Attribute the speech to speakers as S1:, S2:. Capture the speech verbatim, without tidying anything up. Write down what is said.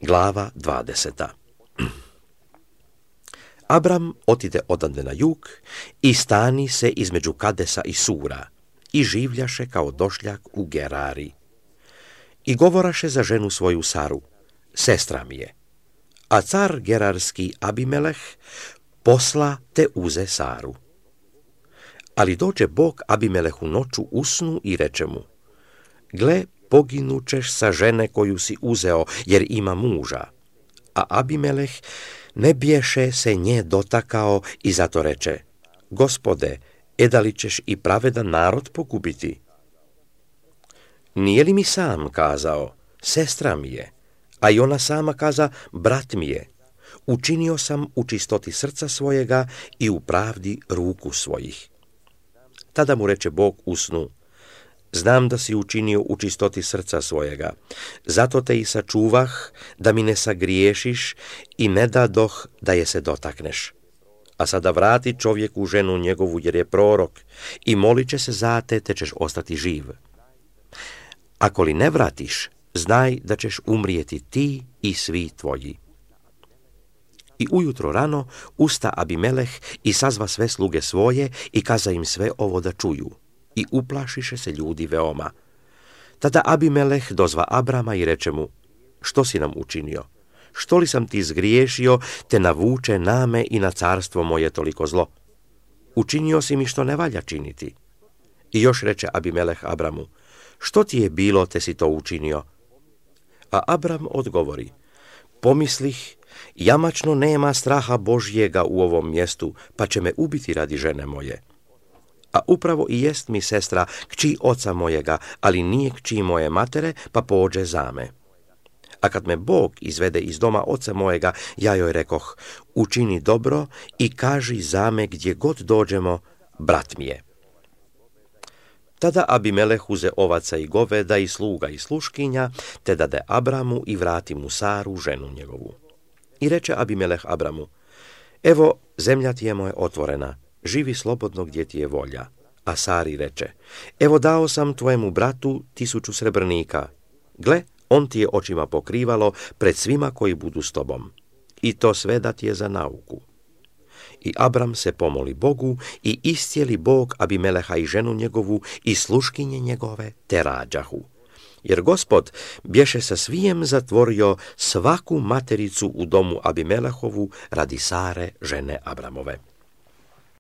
S1: Glava dvadeseta. Abram otide odande na jug i stani se između Kadesa i Sura i življaše kao došljak u Gerari. I govoraše za ženu svoju Saru, sestra mi je. A car gerarski Abimeleh posla te uze Saru. Ali dođe Bog Abimelehu noću u snu i reče mu, gle, poginućeš sa žene koju si uzeo, jer ima muža. A Abimeleh ne biješe se nje dotakao i zato reče, Gospode, eda li ćeš i pravedan narod pogubiti? Nije li mi sam kazao, sestra mi je, a i ona sama kaza, brat mi je. Učinio sam u čistoti srca svojega i u pravdi ruku svojih. Tada mu reče Bog u snu, znam da si učinio u čistoti srca svojega, zato te i sačuvah da mi ne sagriješiš i ne dadoh da je se dotakneš. A sada vrati čovjeku ženu njegovu jer je prorok i molit će se za te, te ćeš ostati živ. Ako li ne vratiš, znaj da ćeš umrijeti ti i svi tvoji. I ujutro rano usta Abimeleh i sazva sve sluge svoje i kaza im sve ovo da čuju. I uplašiše se ljudi veoma. Tada Abimeleh dozva Abrama i reče mu, što si nam učinio? Što li sam ti zgriješio, te navuče name i na carstvo moje toliko zlo? Učinio si mi što ne valja činiti. I još reče Abimeleh Abramu, što ti je bilo, te si to učinio? A Abram odgovori, pomislih, jamačno nema straha Božjega u ovom mjestu, pa će me ubiti radi žene moje. A upravo i jest mi sestra kći oca mojega, ali nije kći moje matere, pa pođe za me. A kad me Bog izvede iz doma oca mojega, ja joj rekoh, učini dobro i kaži za me gdje god dođemo, brat mi je. Tada Abimeleh uze ovaca i goveda i sluga i sluškinja, te dade Abramu i vrati mu Saru, ženu njegovu. I reče Abimeleh Abramu, evo, zemlja ti je moja otvorena, živi slobodno gdje ti je volja. A Sari reče, evo dao sam tvojemu bratu tisuću srebrnika. Gle, on ti je očima pokrivalo pred svima koji budu s tobom. I to sve da ti je za nauku. I Abram se pomoli Bogu i iscijeli Bog Abimeleha i ženu njegovu i sluškinje njegove te rađahu. Jer Gospod bješe sa svijem zatvorio svaku matericu u domu Abimelehovu radi Sare, žene Abramove.